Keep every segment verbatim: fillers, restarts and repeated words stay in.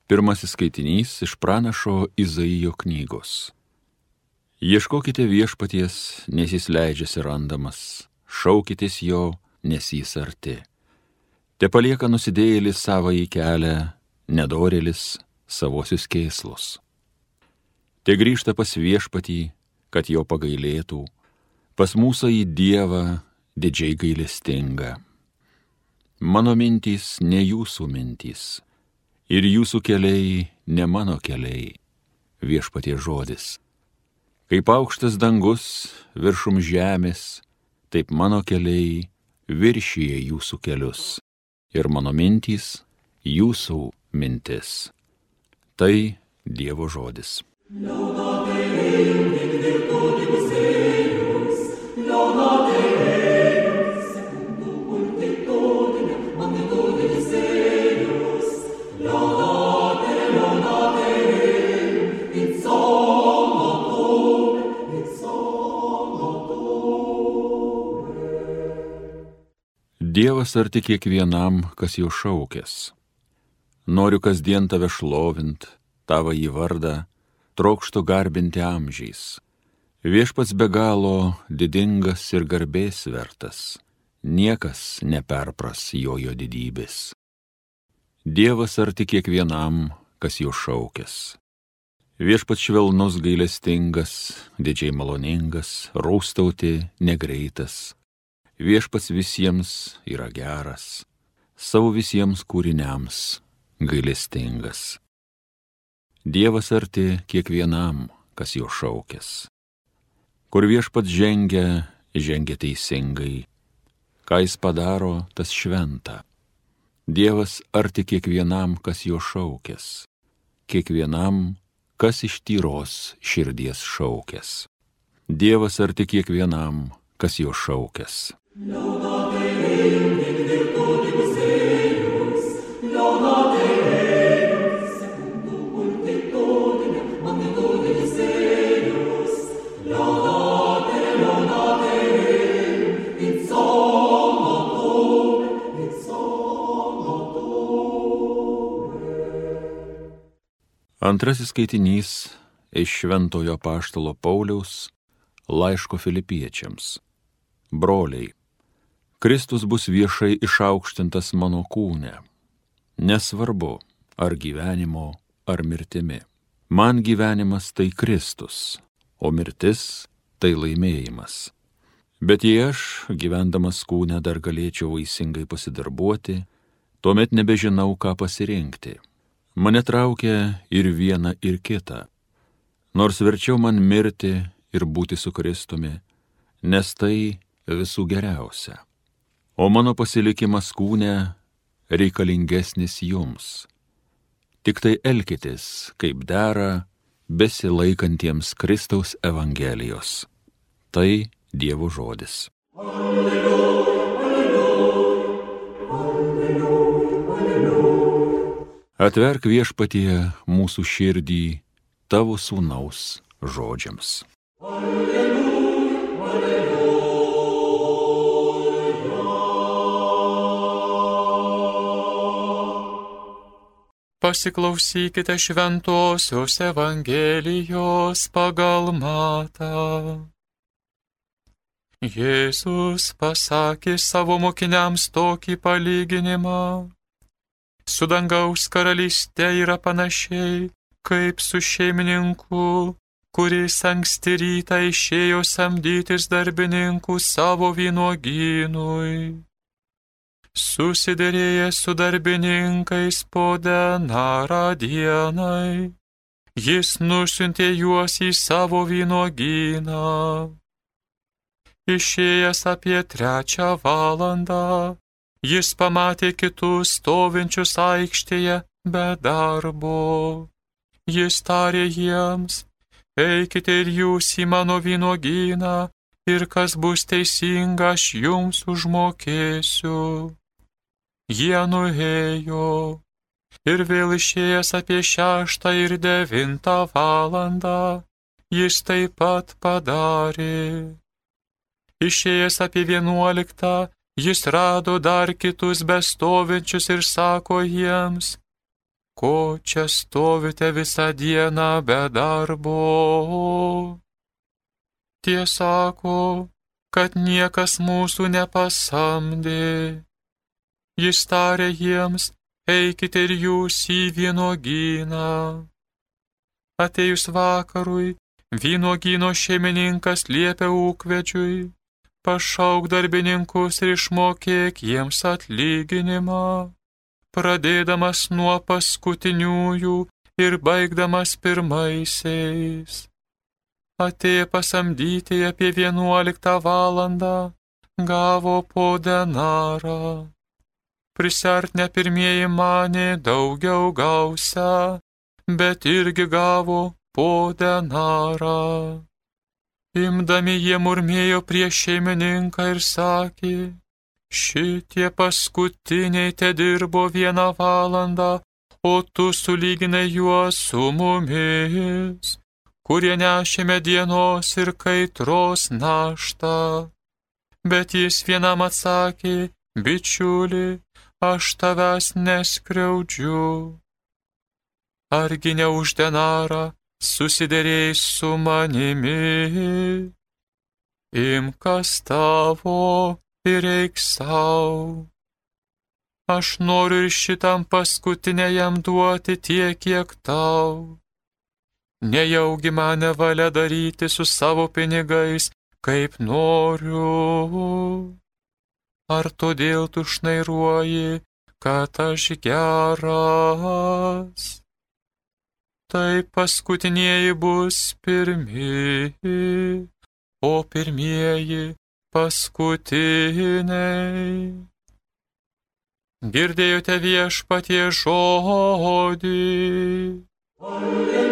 Pirmasis skaitinys iš pranašo Izaijo knygos. Ieškokite viešpaties, nes jis leidžiasi randamas, šaukitės jo, nes jis arti. Te palieka nusidėjėlis savąjį kelią, nedorėlis savosius kėslus. Te grįžta pas viešpatį, kad jo pagailėtų, pas mūsų į Dievą didžiai gailestinga. Mano mintys ne jūsų mintys, ir jūsų keliai ne mano keliai, viešpatie žodis. Kaip aukštas dangus viršum žemės, taip mano keliai viršyje jūsų kelius, ir mano mintys jūsų mintis. Tai Dievo žodis. Dievas arti kiekvienam, kas jo šaukės. Noriu kasdien tave šlovint, tavo į vardą, trokštu garbinti amžiais. Viešpats be galo didingas ir garbės vertas, niekas neperpras jojo didybės. Dievas arti kiekvienam, kas jo šaukės. Viešpats švelnus gailestingas, didžiai maloningas, rūstauti negreitas. Viešpats visiems yra geras, savo visiems kūriniams gailestingas. Dievas arti kiekvienam, kas jo šaukės. Kur viešpats žengia, žengia teisingai, ką jis padaro, tas šventa. Dievas arti kiekvienam, kas jo šaukės, kiekvienam, kas iš tyros širdies šaukės. Dievas arti kiekvienam, kas jo šaukės. Antrasis skaitinys iš Šventojo apaštalo Pauliaus laiško Filipiečiams. Broliai, Kristus bus viešai išaukštintas mano kūne. Nesvarbu, ar gyvenimo, ar mirtimi. Man gyvenimas tai Kristus, o mirtis tai laimėjimas. Bet jei aš, gyvendamas kūne, dar galėčiau vaisingai pasidarbuoti, tuomet nebežinau, ką pasirinkti. Mane traukia ir viena, ir kita. Nors verčiau man mirti ir būti su Kristumi, nes tai visų geriausia. O mano pasilikimas kūne reikalingesnis jums. Tik tai elkitės, kaip dera, besilaikantiems Kristaus Evangelijos. Tai Dievo žodis. Alleluja, alleluja, alleluja, alleluja. Atverk viešpatie mūsų širdį tavo sūnaus žodžiams. Alleluja, alleluja. Pasiklausykite šventosios Evangelijos pagal Matą. Jėzus pasakė savo mokiniams tokį palyginimą. Su dangaus karalyste yra panašiai, kaip su šeimininku, kuris anksti rytą išėjo samdytis darbininkų savo vynuogynui. Susiderėjęs su darbininkais po denarą dienai, jis nusiuntė juos į savo vynuogyną. Išėjęs apie trečią valandą, jis pamatė kitus stovinčius aikštėje be darbo. Jis tarė jiems: eikite ir jūs į mano vynuogyną, ir kas bus teisinga, aš jums užmokėsiu. Jie nuėjo, ir vėl išėjęs apie šeštą ir devintą valandą, jis taip pat padarė. Išėjęs apie vienuoliktą, jis rado dar kitus bestovinčius ir sako jiems: ko čia stovite visą dieną be darbo? Tie sako, kad niekas mūsų nepasamdė. Jis tarė jiems, eikite ir jūs į vynuogyną. Atėjus vakarui, vynuogyno šeimininkas liepė ūkvedžiui, pašauk darbininkus ir išmokėk jiems atlyginimą, pradėdamas nuo paskutiniųjų ir baigdamas pirmaisiais. Atėję pasamdyti apie vienuoliktą valandą, gavo po denarą. Prisartinę pirmieji manė daugiau gausią, bet irgi gavo po denarą. Imdami jie murmėjo prieš šeimininką ir sakė, šitie paskutiniai te dirbo vieną valandą, o tu sulyginai juos su mumis, kurie nešėme dienos ir kaitros naštą. Bet jis vienam atsakė, bičiuli, aš tavęs neskriaudžiu. Argi ne už denarą susiderėjai su manimi? Imk kas tavo ir eik sau. Aš noriu ir šitam paskutiniajam duoti tiek, kiek tau. Nejaugi mane valia daryti su savo pinigais, kaip noriu. Ar todėl tu šnairuoji, kad aš geras? Tai paskutinieji bus pirmi, o pirmieji paskutiniai. Girdėjote viešpatie žodį. Alleluja.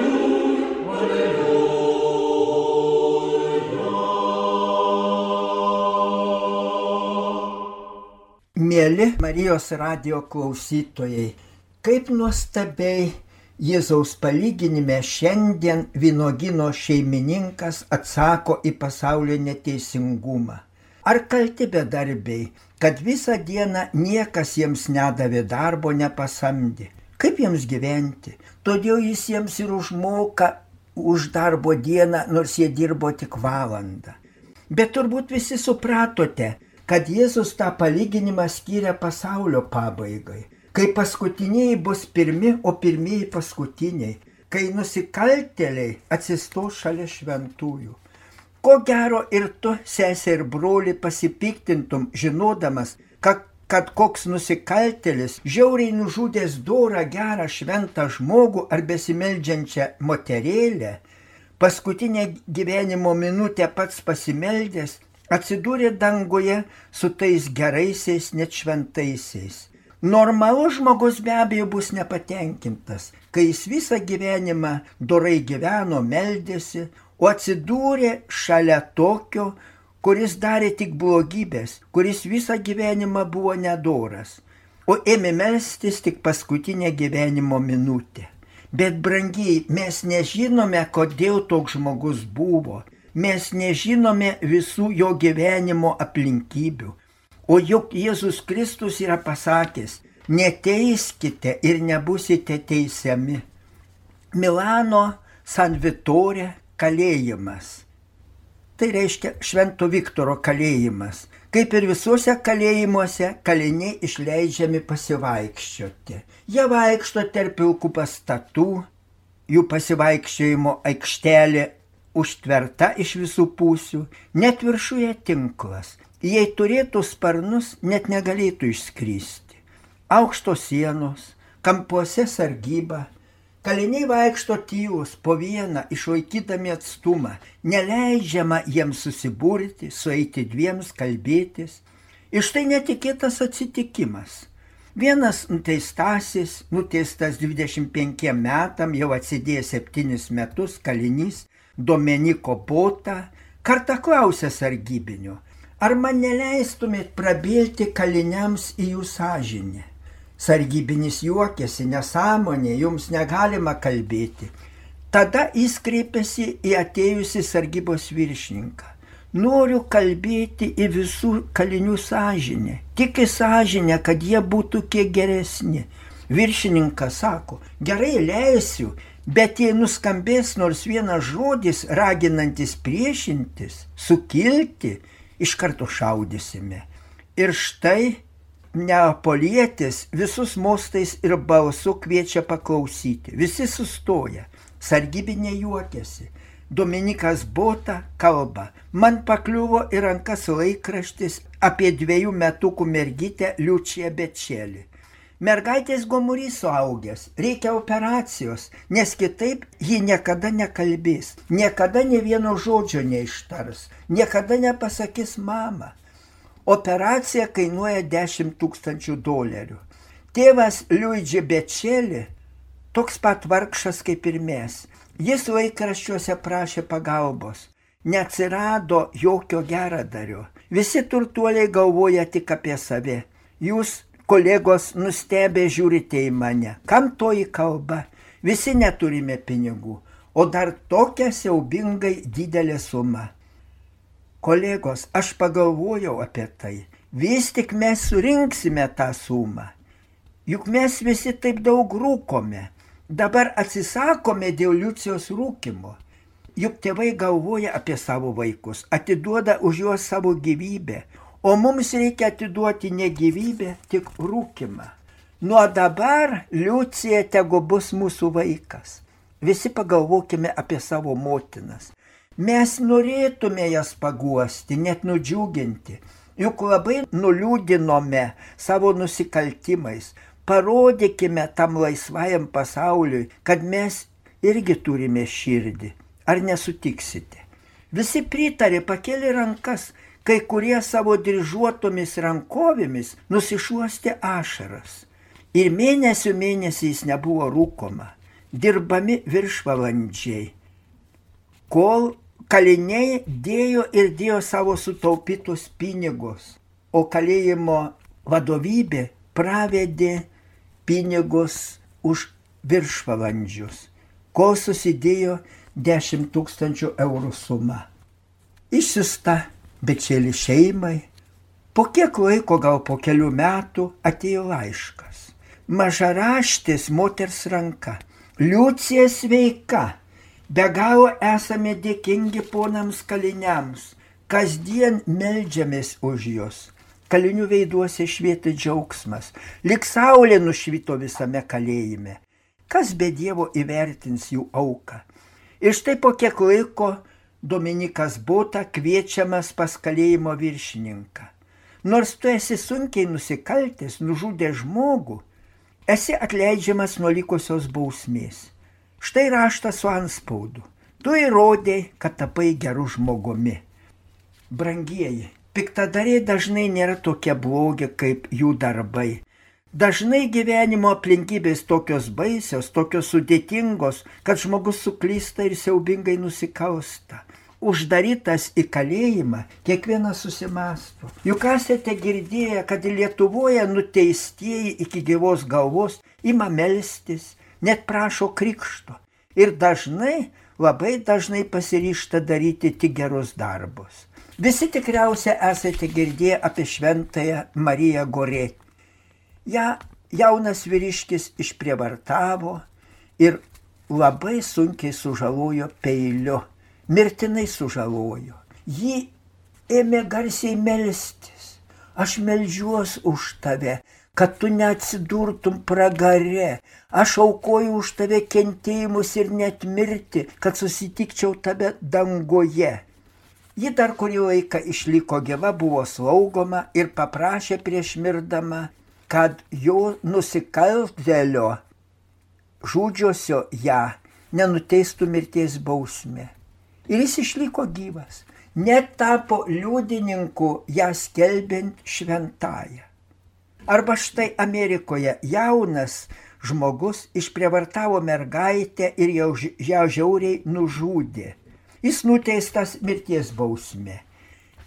Mėly Marijos radijo klausytojai, kaip nuostabiai Jėzaus palyginime šiandien vynuogyno šeimininkas atsako į pasaulio neteisingumą. Ar kalti bedarbiai, kad visą dieną niekas jiems nedavė darbo, nepasamdė? Kaip jiems gyventi? Todėl jis jiems ir užmoka už darbo dieną, nors jie dirbo tik valandą. Bet turbūt visi supratote, kad Jėzus tą palyginimą skiria pasaulio pabaigai, kai paskutiniai bus pirmi, o pirmieji paskutiniai, kai nusikaltėliai atsistos šalia šventųjų. Ko gero ir tu, sesė ir broli, pasipiktintum, žinodamas, kad, kad koks nusikaltėlis, žiauriai nužudęs dorą, gerą, šventą žmogų ar besimeldžiančią moterėlę, paskutinę gyvenimo minutę pats pasimeldęs, atsidūrė danguje su tais geraisiais, net šventaisiais. Normalus žmogus be abejo bus nepatenkintas, kai jis visą gyvenimą dorai gyveno, meldėsi, o atsidūrė šalia tokio, kuris darė tik blogybės, kuris visą gyvenimą buvo nedoras, o ėmė melstis tik paskutinę gyvenimo minutę. Bet brangiai, mes nežinome, kodėl toks žmogus buvo. Mes nežinome visų jo gyvenimo aplinkybių. O juk Jėzus Kristus yra pasakęs, neteiskite ir nebusite teisiami. Milano San Vittore kalėjimas. Tai reiškia Švento Viktoro kalėjimas. Kaip ir visuose kalėjimuose, kaliniai išleidžiami pasivaikščioti. Jie vaikšto tarp pilkų pastatų, jų pasivaikščiojimo aikštelė užtverta iš visų pusių, net viršuje tinklas. Jei turėtų sparnus, net negalėtų išskristi. Aukštos sienos, kampuose sargyba, kaliniai vaikšto tylus po vieną, išlaikydami atstumą, neleidžiama jiems susiburti, sueiti dviems, kalbėtis. Ir štai netikėtas atsitikimas. Vienas nuteistasis, nuteistas dvidešimt penkiem metam, jau atsidėjęs septynis metus, kalinys, Domeniko Bota, kartą klausė sargybinio, ar man neleistumėt prabilti kaliniams į jų sąžinę? Sargybinis juokėsi, nesąmonė, jums negalima kalbėti. Tada jis kreipėsi į atėjusį sargybos viršininką. Noriu kalbėti į visų kalinių sąžinę, tik į sąžinę, kad jie būtų kiek geresni. Viršininkas sako, gerai leisiu, bet jei nuskambės nors vienas žodis raginantis priešintis, sukilti, iš karto šaudysime. Ir štai neapolietis visus mostais ir balsu kviečia paklausyti. Visi sustoja, sargybiniai juokiasi. Dominikas Bota kalba, man pakliuvo į rankas laikraštis apie dviejų metukų mergytę Liučiją Bečelį. Mergaitės gomurys suaugęs, reikia operacijos, nes kitaip ji niekada nekalbės, niekada ne vieno žodžio neištars, niekada nepasakys mama. Operacija kainuoja dešimt tūkstančių dolerių. Tėvas Luigi Bečelį toks pat vargšas kaip ir mes. Jis laikraščiuose prašė pagalbos. Neatsirado jokio geradario. Visi turtuoliai galvoja tik apie save. Jūs, kolegos, nustebę žiūrite į mane. Kam toji kalba? Visi neturime pinigų. O dar tokia siaubingai didelė suma. Kolegos, aš pagalvojau apie tai. Vis tik mes surinksime tą sumą. Juk mes visi taip daug rūkome. Dabar atsisakome dėl Liucijos rūkimo. Juk tėvai galvoja apie savo vaikus, atiduoda už juos savo gyvybę, o mums reikia atiduoti ne gyvybę, tik rūkimą. Nuo dabar Liucija tegu bus mūsų vaikas. Visi pagalvokime apie savo motinas. Mes norėtume jas paguosti, net nudžiuginti, juk labai nuliūdinome savo nusikaltimais. Parodykime tam laisvajam pasauliui, kad mes irgi turime širdį. Ar nesutiksite? Visi pritarė, pakėlė rankas, kai kurie savo dryžuotomis rankovėmis nusišuostė ašaras. Ir mėnesių mėnesiais nebuvo rūkoma, dirbami viršvalandžiai, kol kaliniai dėjo ir dėjo savo sutaupytus pinigus, o kalėjimo vadovybė pravedė pinigus už viršvalandžius, kol susidėjo dešimt tūkstančių eurų suma. Išsiusta Bečelį šeimai, po kiek laiko, gal po kelių metų, atėjo laiškas. Mažaraštis moters ranka. Liucija sveika, be galo esame dėkingi ponams kaliniams, kasdien meldžiamės už juos. Kalinių veiduose švietė džiaugsmas, lyg saulė nušvito visame kalėjime. Kas be Dievo įvertins jų auką? Ir štai po kiek laiko Dominikas Bota kviečiamas pas kalėjimo viršininką. Nors tu esi sunkiai nusikaltęs, nužudęs žmogų, esi atleidžiamas nuo likusios bausmės. Štai raštas su antspaudu. Tu įrodei, kad tapai geru žmogumi. Brangieji, piktadariai dažnai nėra tokie blogi kaip jų darbai. Dažnai gyvenimo aplinkybės tokios baisios, tokios sudėtingos, kad žmogus suklysta ir siaubingai nusikalsta. Uždarytas į kalėjimą, kiekvienas susimąsto. Juk esate girdėję, kad Lietuvoje nuteistieji iki gyvos galvos ima melstis, net prašo krikšto. Ir dažnai, labai dažnai pasiryžta daryti tik gerus darbus. Visi tikriausiai esate girdėję apie šventąją Mariją Goretį. Ja jaunas vyriškis išprievartavo ir labai sunkiai sužalojo peiliu, mirtinai sužalojo. Ji ėmė garsiai melstis. Aš meldžiuos už tave, kad tu neatsidurtum pragare. Aš aukoju už tave kentėjimus ir net mirti, kad susitikčiau tave dangoje. Ji dar kurį laiką išliko gyva, buvo slaugoma ir paprašė prieš mirdama, kad jo nusikaltėlio žudžiosio ją nenuteistų mirties bausmė. Ir jis išliko gyvas, net tapo liudininku ją skelbiant šventąją. Arba štai Amerikoje jaunas žmogus išprievartavo mergaitę ir jau ją žiauriai nužudė. Jis nuteistas mirties bausmė,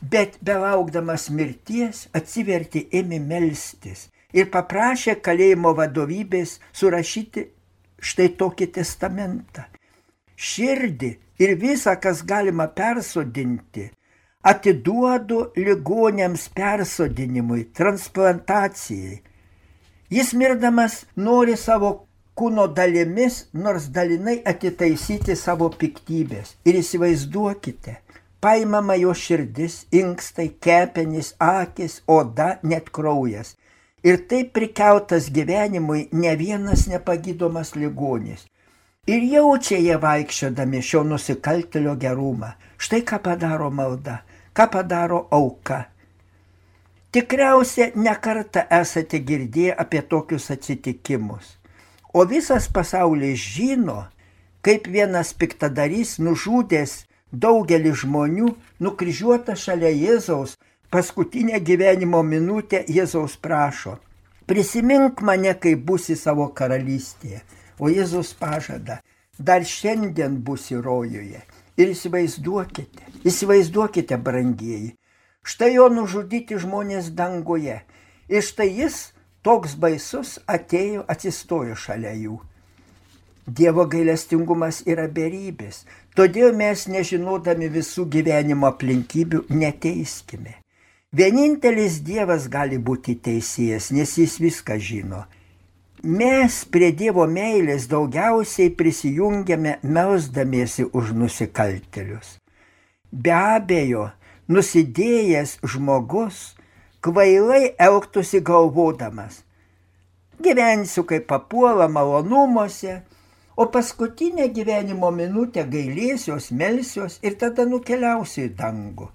bet belaukdamas mirties atsivertė, ėmė melstis ir paprašė kalėjimo vadovybės surašyti štai tokį testamentą. Širdį ir visą, kas galima persodinti, atiduodu ligoniams persodinimui, transplantacijai. Jis mirdamas nori savo kūno dalimis, nors dalinai atitaisyti savo piktybės. Ir įsivaizduokite, paimama jo širdis, inkstai, kepenys, akis, oda, net kraujas. Ir taip prikeltas gyvenimui ne vienas nepagydomas ligonis. Ir jaučia jie vaikščiodami šio nusikaltėlio gerumą. Štai ką padaro malda, ką padaro auka. Tikriausiai nekartą esate girdėję apie tokius atsitikimus. O visas pasaulis žino, kaip vienas piktadarys nužudęs daugelį žmonių, nukryžiuotas šalia Jėzaus, paskutinę gyvenimo minutę Jėzaus prašo: prisimink mane, kai būsi savo karalystėje. O Jėzus pažada: dar šiandien būsi rojuje. Ir įsivaizduokite, įsivaizduokite, brangieji, štai jo nužudyti žmonės danguje. Ir štai jis, toks baisus, atėjo, atsistojo šalia jų. Dievo gailestingumas yra beribės, todėl mes, nežinodami visų gyvenimo aplinkybių, neteiskime. Vienintelis Dievas gali būti teisėjas, nes jis viską žino. Mes prie Dievo meilės daugiausiai prisijungiame melsdamiesi už nusikaltėlius. Be abejo, nusidėjęs žmogus kvailai elgtųsi galvodamas: gyvensiu kaip papuola malonumuose, o paskutinę gyvenimo minutę gailėsiuos, melsiuos ir tada nukeliausiu į dangų.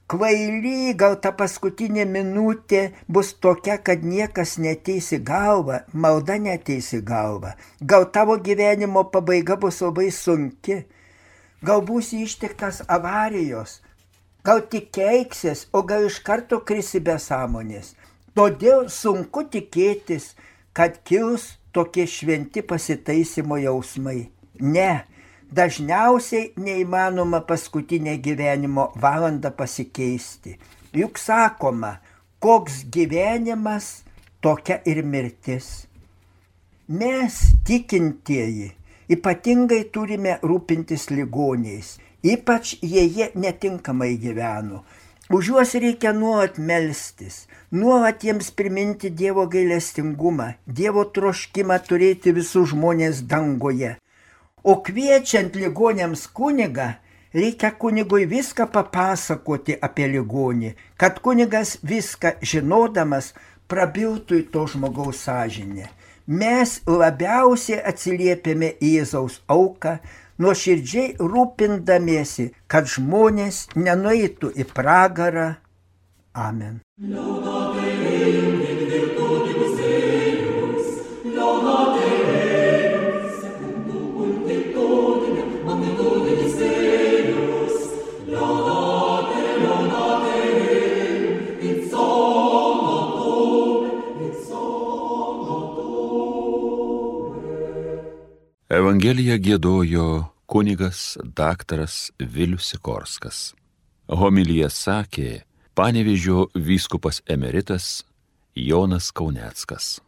Kvaily, gal ta paskutinė minutė bus tokia, kad niekas neteis į galvą, malda neteis į galvą. Gal tavo gyvenimo pabaiga bus labai sunki, gal būsi ištiktas avarijos, gal tik keiksies, o gal iš karto krisi be sąmonės. Todėl sunku tikėtis, kad kils tokie šventi pasitaisimo jausmai. Ne, dažniausiai neįmanoma paskutinę gyvenimo valandą pasikeisti. Juk sakoma, koks gyvenimas, tokia ir mirtis. Mes, tikintieji, ypatingai turime rūpintis ligoniais, ypač jei jie netinkamai gyveno. Už juos reikia nuolat melstis, nuolat jiems priminti Dievo gailestingumą, Dievo troškimą turėti visus žmonės dangoje. O kviečiant ligoniams kunigą, reikia kunigui viską papasakoti apie ligonį, kad kunigas viską žinodamas prabiltų į to žmogaus sąžinę. Mes labiausiai atsiliepėme į Jėzaus auką, nuoširdžiai rūpindamiesi, kad žmonės nenueitų į pragarą. Amen. Evangeliją giedojo kunigas daktaras Vilius Sikorskas. Homiliją sakė Panevėžio vyskupas emeritas Jonas Kauneckas.